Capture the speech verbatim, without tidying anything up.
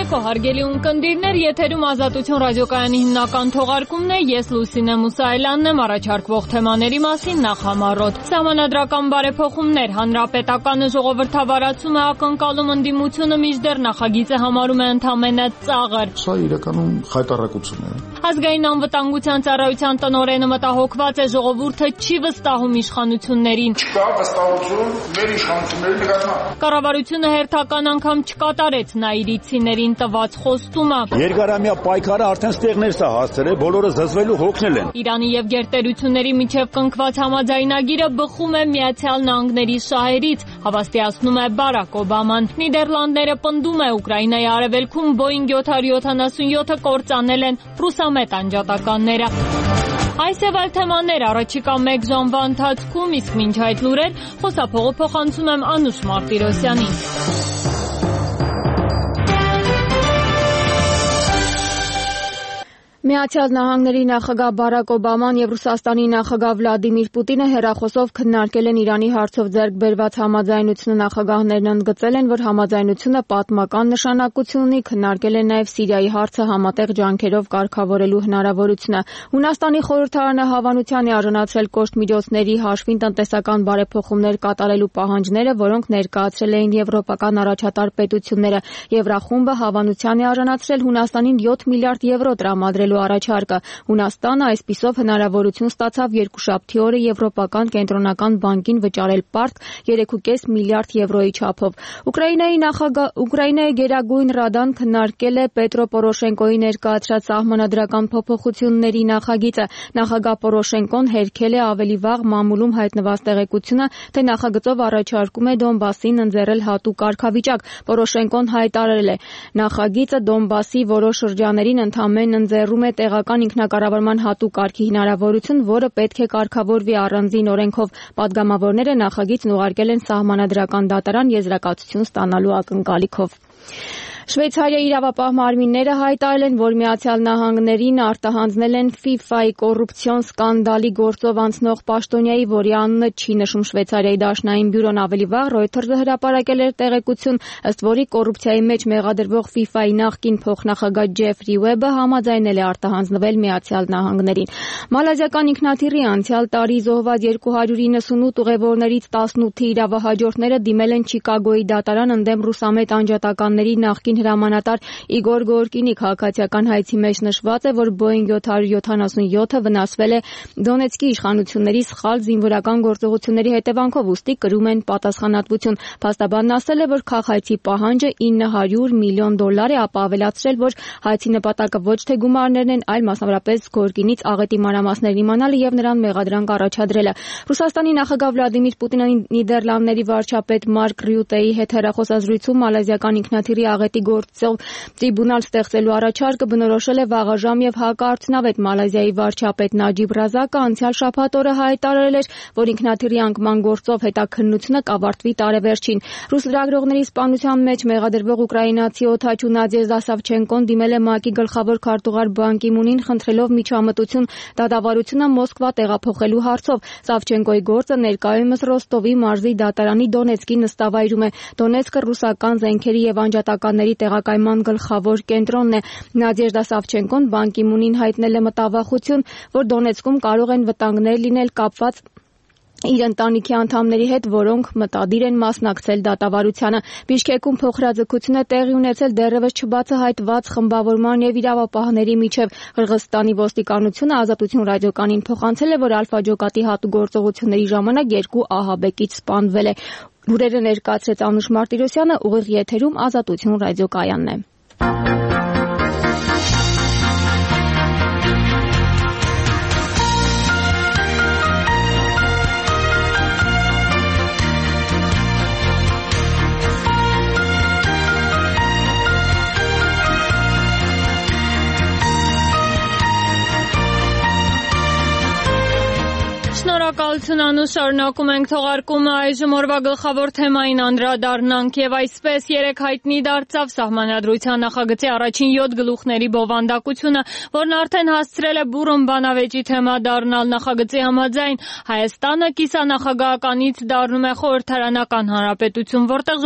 Ցերեկո հարգելի ունկնդիրներ, եթերում Ազատություն ռադիոկայանի հիմնական թողարկումն է, ես Լուսինե Մուսայելյանն եմ, առաջարկվող թեմաների մասին նախ համառոտ։ Սահմանադրական բարեփոխումներ, հանրապետականը ժողովրդավարացում է ակնկալում ընդդիմությունը մինչդեռ նախագիծը համարում է ընդամենը ծաղր։ Սա իրականում խայտառակություն է։ Ազգային անվտանգության ծառայության տնօրենը մտահոգված է ժողովուրդը չի վստահում իշխանություններին։ Չկա վստահություն մեր իշխանությունների նկատմամբ։ Կառավարությունը հերթական անգամ չկատարեց նայիրիցիներին տված խոստումը։ Երկարամյա պայքարը արդեն ստեղներ սա հասցրել, բոլորը զզվելու հոգնել են։ Իրանի եւ գերտերությունների միջև կնքված համաձայնագիրը բխում է Միացյալ Նահանգների շահերից, հավաստիացնում է Բարակ Օբաման։ Նիդերլանդները պնդում է Ուկրաինայի արևելքում Boeing յոթ հարյուր յոթանասունյոթը կործանել են ռուսամետ անջատականները։ Այս եւ այլ թեմաներ առաջիկա մեկ ժամվա ընթացքում, իսկ մինչ այդ լուրեր խոսափողը փոխանցում եմ Անուշ Մարտիրոսյանին։ Միացյալ Նահանգների նախագահ Բարակ Օբաման եւ Ռուսաստանի նախագահ Վլադիմիր Պուտինը հեռախոսով քննարկել են Իրանի հարցով ձեռք բերված համաձայնությունը։ Նախագահներն ընդգծել են, որ համաձայնությունը պատմական նշանակություն ունի, քննարկել են նաեւ Սիրիայի հարցը համատեղ ջանքերով կարգավորելու հնարավորությունը։ Հունաստանի խորհրդարանը հավանության է արժանացրել կոշտ միջոցների հաշվին տնտեսական բարեփոխումներ կատարելու պահանջները, որոնք ներկայացրել էին եվրոպական առաջատար պետությունները։ Եվրախումբը հավանության է արժանացրել Հունաստանին յոթ միլիարդ եվրո տրամադրելու առաջարկը։ Հունաստանը այսպիսով հնարավորություն ստացավ երկուշաբթի օրը Եվրոպական կենտրոնական բանկին վճարել պարտք երեք կόμμα պենս միլիարդ եվրոյի չափով։ Ուկրաինայի նախագահ Ուկրաինայի Գերագույն Ռադան քննարկել է Պետրո Պորոշենկոյի ներկայացրած սահմանադրական փոփոխությունների նախագիծը։ Նախագահ Պորոշենկոն հերքել է ավելի վաղ մամուլում հայտնված տեղեկությունը, թե նախագծով առաջարկում է Դոնբասին ընձեռել հատուկ կարգավիճակ։ Պորոշենկոն հայտարարել է. նախագիծը Դոնբասի որոշ շրջաներին ընդամենը ընձեռում է տեղական ինքնակառավարման հատուկ կարգի հնարավորություն, որը պետք է կարգավորվի առանձին օրենքով։ Պատգամավորները նախագիծն ուղարկել են սահմանադրական դատարան եզրակացություն ստանալու ակնկալիքով։ Շվեյցարիայի իրավապահ մարմինները հայտարարել են, որ Միացյալ Նահանգներին արտահանձնել են ֆիֆայի կոռուպցիոն սկանդալի գործով անցնող պաշտոնյայի, որի անունը չի նշում Շվեյցարիայի դաշնային բյուրոն։ Ավելի վաղ Reuters-ը հրապարակել էր տեղեկություն, ըստ որի կոռուպցիայի մեջ մեղադրվող ֆիֆայի նախկին փոխնախագահ Ջեֆրի Ուեբը համաձայնել է արտահանձնվել Միացյալ Նահանգներին։ Մալազիական ինքնաթիռի անցյալ տարի զոհված երկու հարյուր իննսունութ ուղևորներից տասնութի իրավահաջորդները դիմել են Չիկագոյի դատարան ընդդեմ ռուսամետ անջատականների նախկին հրամանատար Իգոր Գորկինի քաղաքացիական հայցի մեջ նշված է, որ Boeing յոթ հարյուր յոթանասունյոթը վնասվել է Դոնեցկի իշխանությունների սխալ զինվորական գործողությունների հետևանքով, ուստի կրում են պատասխանատվություն։ Փաստաբանն ասել է, որ քաղաքացի պահանջը ինը հարյուր միլիոն դոլար է, ապա ավելացրել, որ հայցի նպատակը ոչ թե գումարներն են, այլ մասնավորապես Գորկինից աղետի մանրամասներ իմանալը եւ նրան մեղադրանք առաջադրելը։ Ռուսաստանի նախագահ Վլադիմիր Պուտինը Նիդերլանդների վարչապետ Մարկ Ռյուտեի հետ հեռախոսազրույցում մալազիական ինքնաթիռի աղետի գործով տրիբունալ ստեղծելու առաջարկը բնորոշել է վաղաժամ եւ հակաարդյունավետ։ Մալազիայի վարչապետ Նաջիբ Ռազակը անցյալ շաբաթ օրը հայտարարել էր, որ ինքնաթիռի անկման գործով հետաքննությունը կավարտվի տարեվերջին։ Ռուս լրագրողների սպանության մեջ մեղադրվող ուկրաինացի օդաչու Նադեժդա Սավչենկոն դիմել է ՄԱԿ-ի գլխավոր քարտուղար Բան Կի Մունին, խնդրելով միջամտություն դատավարությունը Մոսկվա տեղափոխելու հարցով։ Սավչենկոյի գործը ներկայումս Ռոստովի մարզի դատարանի Դոնեցկի նստավայրում է։ Դոնեցկը ռուսական զենքերի եւ անջատականների տեղակայման գլխավոր կենտրոնն է։ Նադեժդա Սավչենկոն Բան Կի Մունին հայտնել է մտավախություն, որ Դոնեցկում կարող են վտանգներ լինել կապված իր ընտանիքի անդամների հետ, որոնք մտադիր են մասնակցել դատավարությանը։ Բիշկեկում փոխհրաձգություն է տեղի ունեցել դեռևս չբացահայտված խմբավորման եւ իրավապահների միջև։ Қырғызստանի ոստիկանությունը Ազատություն ռադիոկայանին փոխանցել է, որ Ալֆաջոկատի հատուկ գործողությունների ժամանակ երկու ահաբեկիչ սպանվել է։ Լուրերը ներկայացրեց Անուշ Մարտիրոսյանը, ուղիղ եթերում Ազատություն ռադիոկայանն է։ Շնորհակալություն Անուշ, շարունակում ենք թողարկումը, այժմ օրվա գլխավոր թեմային անդրադառնանք եւ այսպես երեք հայտնի դարձավ Սահմանադրության նախագծի առաջին յոթ գլուխների բովանդակությունը, որն արդեն հասցրել է բուռն բանավեճի թեմա դառնալ։ Նախագծի համաձայն Հայաստանը կիսանախագահականից դառնում է խորհրդարանական հանրապետություն, որտեղ